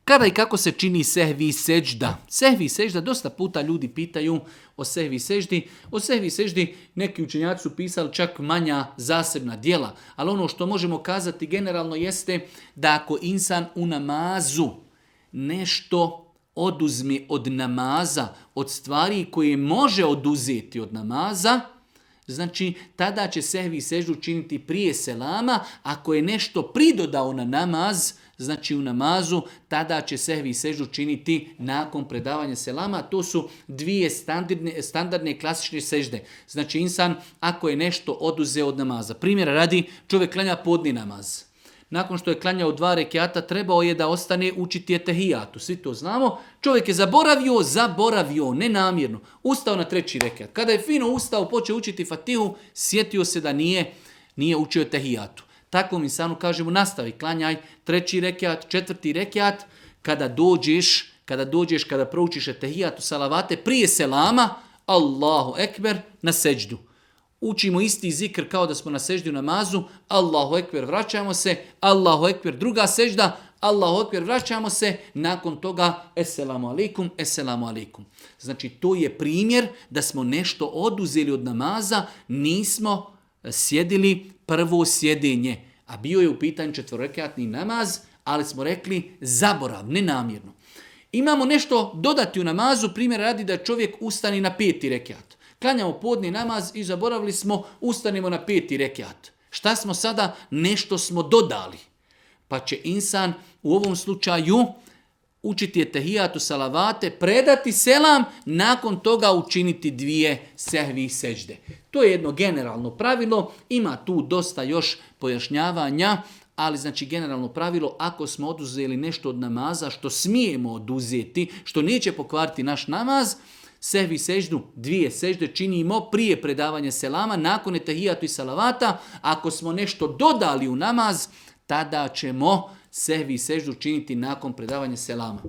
Kada i kako se čini sehvi sežda? Sehvi sežda, dosta puta ljudi pitaju o sehvi seždi. O sehvi seždi neki učenjaci su pisali čak manja zasebna djela. Ali ono što možemo kazati generalno jeste da ako insan u namazu nešto oduzme od namaza, od stvari koje može oduzeti od namaza, znači tada će sehvi seždu činiti prije selama. Ako je nešto pridodao na namaz, znači u namazu, tada će sehvi seždu činiti nakon predavanja selama. To su dvije standardne klasične sežde. Znači insan ako je nešto oduzeo od namaza. Primjera radi, čovjek klanja podni namaz. Nakon što je klanjao 2 rekiata, trebao je da ostane učiti etehijatu. Svi to znamo. Čovjek je zaboravio, nenamjerno. Ustao na 3. rekiat. Kada je fino ustao, počeo učiti fatihu, sjetio se da nije učio etehijatu. Takvom insanu kažemo nastavi, klanjaj 3. rekiat, 4. rekiat, kada proučiš etehijatu, salavate, prije selama, Allahu ekber, na seđdu. Učimo isti zikr kao da smo na seždi u namazu, Allahu ekber, vraćamo se, Allahu ekber, druga sežda, Allahu ekber, vraćamo se, nakon toga esselamu alaikum, esselamu alaikum. Znači to je primjer da smo nešto oduzeli od namaza, nismo sjedili prvo sjedenje, a bio je u pitanju 4-rekatni namaz, ali smo rekli zaborav, nenamjerno. Imamo nešto dodati u namazu, primjer radi da čovjek ustani na 5. rekat. Klanjamo podni namaz i zaboravili smo, ustanimo na 5. rekat. Šta smo sada? Nešto smo dodali. Pa će insan u ovom slučaju učiti etehijatu, salavate, predati selam, nakon toga učiniti 2 sehvi sežde. To je jedno generalno pravilo, ima tu dosta još pojašnjavanja, ali znači generalno pravilo, ako smo oduzeli nešto od namaza što smijemo oduzeti, što neće pokvariti naš namaz, sehvi seždu, 2 sežde činimo prije predavanja selama, nakon etehijatu i salavata. Ako smo nešto dodali u namaz, tada ćemo sehvi seždu činiti nakon predavanja selama.